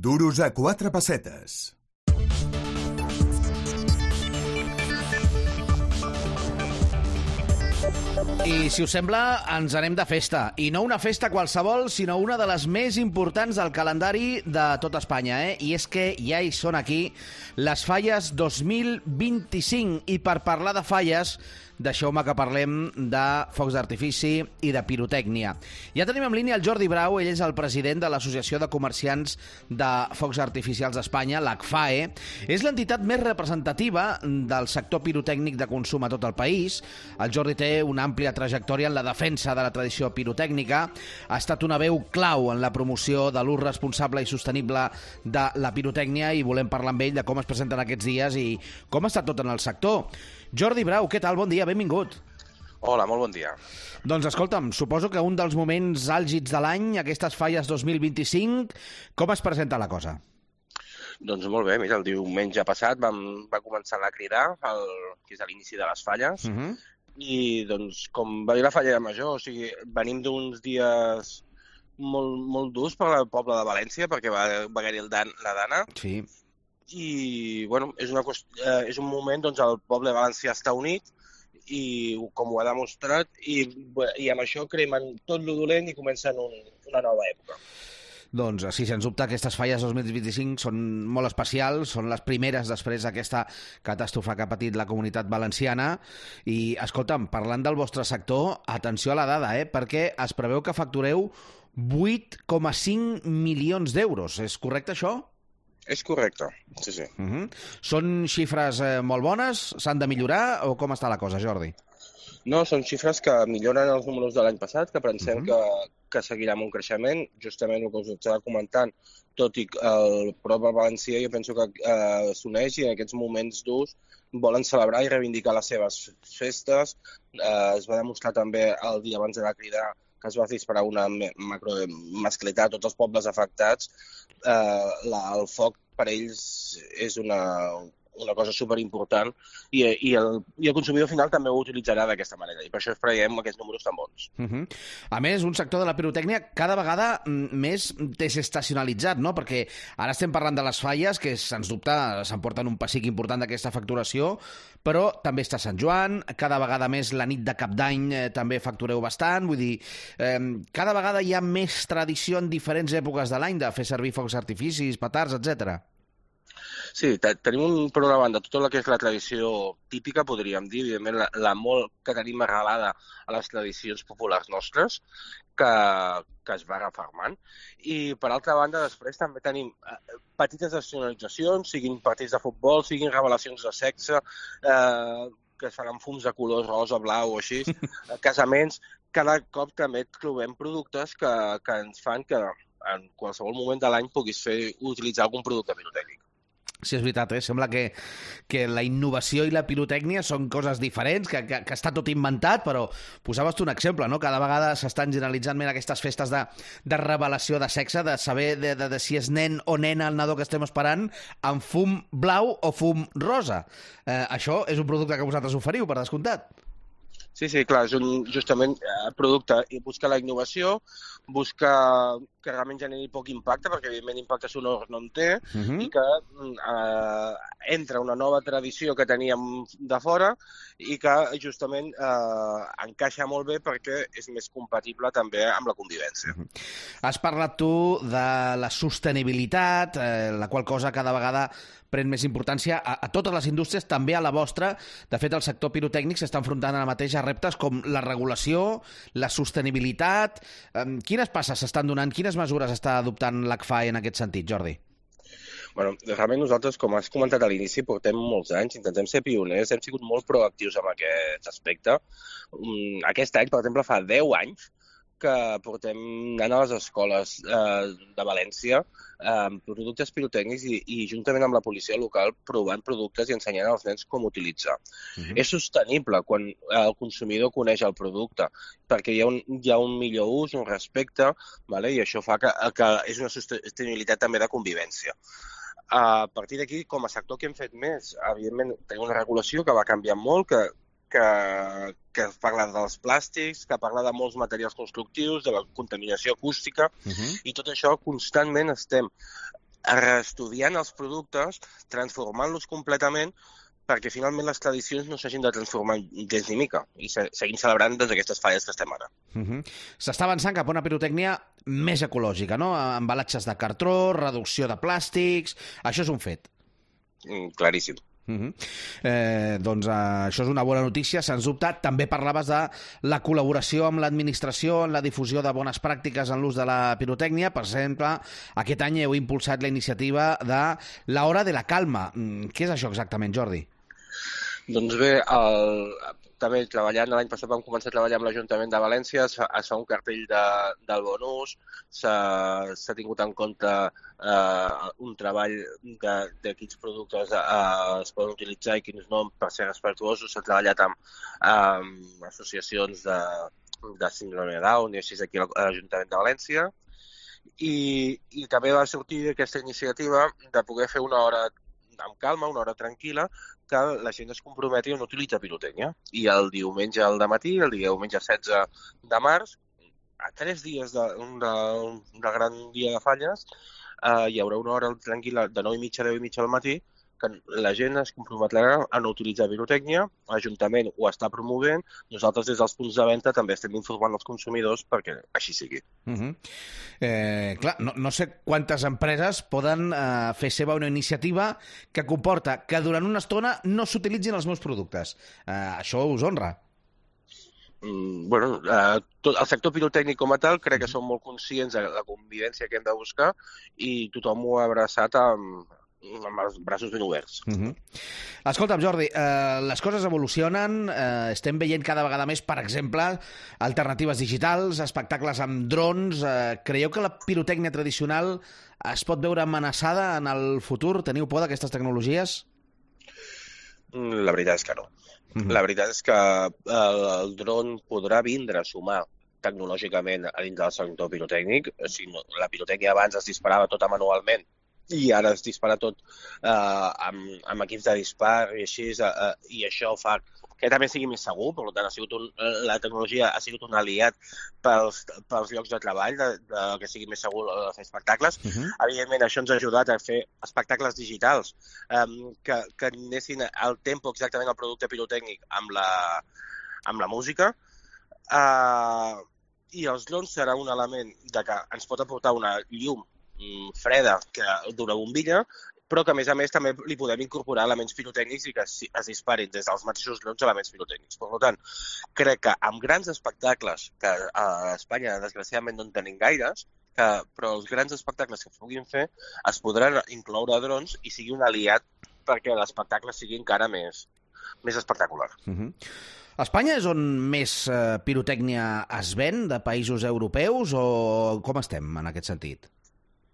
Duros a 4 pessetes. I, si us sembla, ens anem de festa. I no una festa qualsevol, sinó una de les més importants del calendari de tot Espanya. I és que ja hi són aquí les Falles 2025. I per parlar de falles, deixeu-me que parlem de focs d'artifici i de pirotècnia. Ja tenim en línia el Jordi Brau, ell és el president de l'Associació de Comerciants de Focs Artificials d'Espanya, l'ACFAE. És l'entitat més representativa del sector pirotècnic de consum a tot el país. El Jordi té una àmplia trajectòria en la defensa de la tradició pirotècnica. Ha estat una veu clau en la promoció de l'ús responsable i sostenible de la pirotècnia i volem parlar amb ell de com es presenten aquests dies i com està tot en el sector. Jordi Brau, què tal? Bon dia, benvingut. Hola, molt bon dia. Doncs escolta'm, suposo que un dels moments àlgids de l'any, aquestes Falles 2025, com es presenta la cosa? Doncs molt bé, mira, el diumenge passat va començar a cridar, que és l'inici de les falles, i doncs com va dir la Falla de Major, o sigui, venim d'uns dies molt durs per al poble de València, perquè va haver-hi la Dana. Sí. I, bueno, és un moment, doncs, el poble valencià està unit, i com ho ha demostrat, i amb això cremen tot lo dolent i comencen una nova època. Doncs sí, sens dubte, aquestes Falles 2025 són molt especials, són les primeres després d'aquesta catàstrofe que ha patit la comunitat valenciana. I, escolta'm, parlant del vostre sector, atenció a la dada, perquè es preveu que factureu 8,5 milions d'euros. És correcte, això? És correcte, sí. Són xifres molt bones? S'han de millorar o com està la cosa, Jordi? No, són xifres que milloren els números de l'any passat, que pensem que seguirà amb un creixement. Justament el que us estava comentant, tot i que el poble valencià jo penso que s'uneix i en aquests moments durs volen celebrar i reivindicar les seves festes. Es va demostrar també el dia abans de cridar que es va disparar una macromasclitat a tots els pobles afectats. El foc per ells és una cosa superimportant i el consumidor final també ho utilitzarà d'aquesta manera i per això esperem aquests números tan bons. A més, un sector de la pirotècnia cada vegada més desestacionalitzat, no? Perquè ara estem parlant de les falles, que sens dubte s'emporten un pessic important d'aquesta facturació, però també està Sant Joan, cada vegada més la nit de Cap d'Any també factureu bastant, vull dir, cada vegada hi ha més tradició en diferents èpoques de l'any de fer servir focs artificis, petards, etc. Sí, tenim per una banda tota la que és la tradició típica, podríem dir, evidentment la molt que tenim arrelada a les tradicions populars nostres, que es va refermant. I per altra banda, després també tenim petites nacionalitzacions, siguin partits de futbol, siguin revelacions de sexe, que es fan amb fums de colors rosa, blau o així, casaments. Cada cop també trobem productes que ens fan que en qualsevol moment de l'any puguis utilitzar algun producte pirotècnic. Sí, és veritat, sembla que la innovació i la pirotècnia són coses diferents, que està tot inventat, però posaves tu un exemple, no? Cada vegada s'estan generalitzant més aquestes festes de revelació de sexe, de saber de si és nen o nena el nadó que estem esperant, amb fum blau o fum rosa. Això és un producte que vosaltres oferiu, per descomptat. Sí, clar, és justament producte i busca la innovació, busca que realment generi poc impacte, perquè evidentment impacte sonor no en té, i que entra una nova tradició que teníem de fora i que justament encaixa molt bé perquè és més compatible també amb la convivència. Has parlat tu de la sostenibilitat, la qual cosa cada vegada pren més importància a totes les indústries, també a la vostra. De fet, el sector pirotècnic s'està enfrontant ara mateix a reptes com la regulació, la sostenibilitat. Quines passes s'estan donant, quines mesures està adoptant l'ACFAE en aquest sentit, Jordi? Bueno, realment nosaltres, com has comentat a l'inici, portem molts anys, intentem ser pioners, hem sigut molt proactius en aquest aspecte. Aquest any, per exemple, fa 10 anys que portem anant a les escoles de València amb productes pirotècnics i juntament amb la policia local provant productes i ensenyant als nens com utilitzar. És sostenible quan el consumidor coneix el producte perquè hi ha un millor ús, un respecte, i això fa que és una sostenibilitat també de convivència. A partir d'aquí, com a sector que hem fet més, evidentment tenim una regulació que va canviar molt, que parla dels plàstics, que parla de molts materials constructius, de la contaminació acústica, i tot això constantment estem reestudiant els productes, transformant-los completament, perquè finalment les tradicions no s'hagin de transformar gens ni mica i seguim celebrant doncs, aquestes falles que estem ara. S'està avançant cap a una pirotècnia més ecològica, no? Embalatges de cartró, reducció de plàstics... Això és un fet. Claríssim. Doncs això és una bona notícia, sens dubte. També parlaves de la col·laboració amb l'administració en la difusió de bones pràctiques en l'ús de la pirotècnia. Per exemple, aquest any heu impulsat la iniciativa de la Hora de la Calma. Què és això exactament, Jordi? Doncs bé, també treballant, l'any passat vam començar a treballar amb l'Ajuntament de València, es fa un cartell del bon ús, s'ha tingut en compte un treball de quins productes es poden utilitzar i quins no per ser respectuosos, s'ha treballat amb associacions de síndrome de Down i així aquí a l'Ajuntament de València i també va sortir aquesta iniciativa de poder fer una hora amb calma, una hora tranquil·la, que la gent es comprometi a no utilitzar pirotècnia. I el diumenge al matí, el diumenge 16 de març, a 3 dies d'un gran dia de falles, hi haurà una hora tranquil·la de 9:30 a 10:30 al matí, que la gent es comprometrà a no utilitzar pirotècnia, l'Ajuntament ho està promovent, nosaltres des dels punts de venda també estem informant els consumidors perquè així sigui. Clar, no sé quantes empreses poden fer seva una iniciativa que comporta que durant una estona no s'utilitzin els meus productes. Això us honra. Bueno, el sector pirotècnic com a tal crec que són molt conscients de la convivència que hem de buscar i tothom ho ha abraçat amb els braços ben oberts. Escolta'm, Jordi, les coses evolucionen, estem veient cada vegada més, per exemple, alternatives digitals, espectacles amb drons. Creieu que la pirotècnia tradicional es pot veure amenaçada en el futur? Teniu por d'aquestes tecnologies? La veritat és que no. La veritat és que el dron podrà vindre a sumar tecnològicament a dins del sector pirotècnic. La pirotècnia abans es disparava tota manualment i ara es dispara tot amb equips de dispar i així, i això fa que també sigui més segur. Per tant, la tecnologia ha sigut un aliat pels llocs de treball, que sigui més segur fer espectacles. Evidentment, això ens ha ajudat a fer espectacles digitals que anessin al tempo exactament al producte pirotècnic amb la música. I els drons serà un element que ens pot aportar una llum freda d'una bombilla, però que a més també li podem incorporar elements pirotècnics i que es disparin des dels mateixos drons elements pirotècnics. Per tant, crec que amb grans espectacles, que a Espanya desgraciadament no en tenim gaires, però els grans espectacles que es puguin fer es podran incloure drons i sigui un aliat perquè l'espectacle sigui encara més espectacular. Espanya és on més pirotècnia es ven de països europeus o com estem en aquest sentit?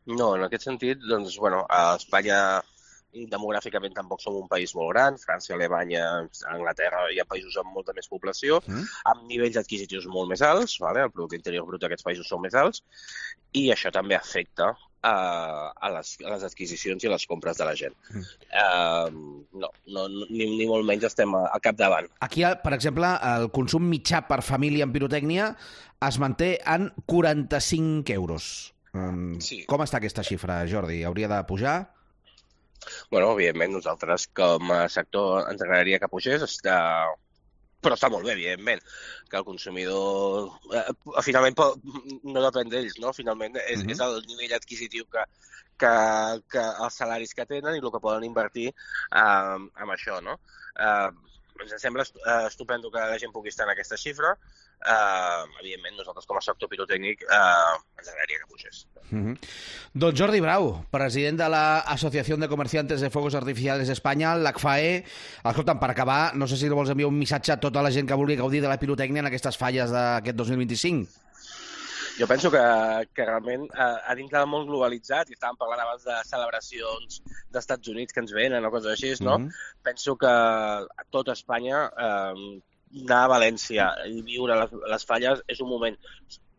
No, en aquest sentit, doncs, bueno, a Espanya demogràficament tampoc som un país molt gran, França, Alemanya, Anglaterra hi ha països amb molta més població, amb nivells adquisitius molt més alts, vale? El producte interior brut d'aquests països són més alts, i això també afecta a les adquisicions i a les compres de la gent. Ni molt menys estem al capdavant. Aquí, per exemple, el consum mitjà per família en pirotècnia es manté en 45 euros. Sí. Com està aquesta xifra, Jordi? Hauria de pujar? Bueno, evidentment, nosaltres com a sector ens agradaria que pugés, però està molt bé, evidentment, que el consumidor finalment no depèn d'ells, no? Finalment és el nivell adquisitiu que els salaris que tenen i el que poden invertir amb això, no? Ens sembla estupendo que la gent pugui estar en aquesta xifra. Evidentment, nosaltres com a sector pirotècnic ens agradaria que pugés. Doncs Jordi Brau, president de l'Associació de Comerciantes de Fuegos Artificiales d'Espanya, l'ACFAE. Escolta'm, per acabar, no sé si vols enviar un missatge a tota la gent que vulgui gaudir de la pirotècnia en aquestes falles d'aquest 2025. Jo penso que realment a dins del món globalitzat, i estàvem parlant abans de celebracions d'Estats Units que ens venen o coses així, no? Penso que a tota Espanya anar a València i viure les falles és un moment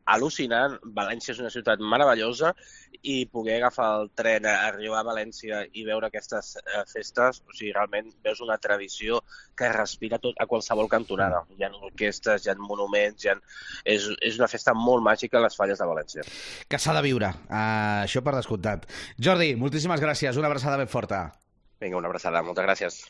al·lucinant. València és una ciutat meravellosa i poder agafar el tren, arribar a València i veure aquestes festes, o sigui, realment veus una tradició que respira tot a qualsevol cantonada. Hi ha orquestres, hi ha monuments, és una festa molt màgica a les Falles de València. Que s'ha de viure, això per descomptat. Jordi, moltíssimes gràcies, una abraçada ben forta. Vinga, una abraçada, moltes gràcies.